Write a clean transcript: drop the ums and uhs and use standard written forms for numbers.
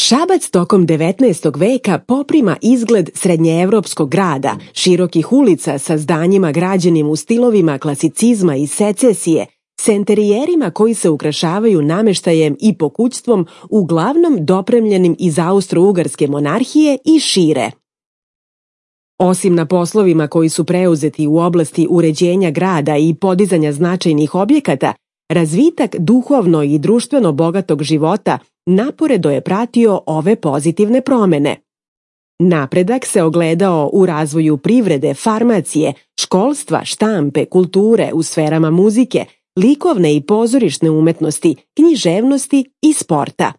Šabac tokom 19. veka poprima izgled srednjeevropskog grada, širokih ulica sa zdanjima građenim u stilovima klasicizma i secesije, s enterijerima koji se ukrašavaju nameštajem i pokućstvom uglavnom dopremljenim iz Austro-Ugarske monarhije i šire. Osim na poslovima koji su preuzeti u oblasti uređenja grada i podizanja značajnih objekata, razvitak duhovno i društveno bogatog života naporedo je pratio ove pozitivne promene. Napredak se ogledao u razvoju privrede, farmacije, školstva, štampe, kulture u sferama muzike, likovne i pozorišne umetnosti, književnosti i sporta.